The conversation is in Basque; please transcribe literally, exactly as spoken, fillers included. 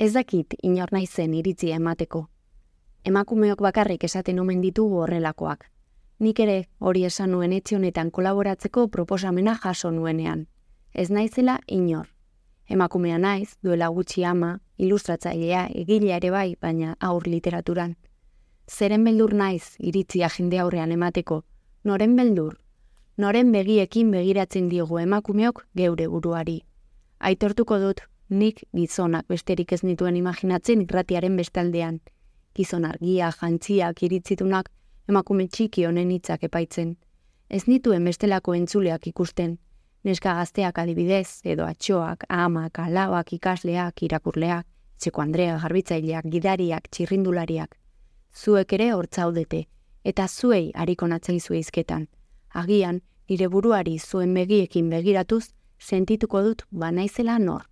Ez dakit inor naizen iritzia emateko. Emakumeok bakarrik esaten omen ditugu horrelakoak. Nik ere hori esan nuen etxe honetan kolaboratzeko proposamena jaso nuenean. Ez naizela inor. Emakumea naiz, duela gutxi ama, ilustratzailea, egilea ere bai, baina aur literaturan. Zeren beldur naiz iritzia jende aurrean emateko, noren beldur? Noren begiekin begiratzen diogu emakumeok geure buruari. Aitortuko dut, nik gizonak besterik ez nituen imaginatzen irratiaren bestaldean. Gizon argia, jantziak, iritzitunak, emakume txiki honen hitzak epaitzen. Ez nituen bestelako entzuleak ikusten. Neska gazteak adibidez, edo atxoak, amak, alabak, ikasleak, irakurleak, txeko Andrea, garbitzaileak, gidariak, txirrindulariak. Zuek ere hortzaudete, eta zuei hariko natzaizue hizketan. Agian, nire buruari zuen begiekin begiratuz, sentituko dut banaizela nor.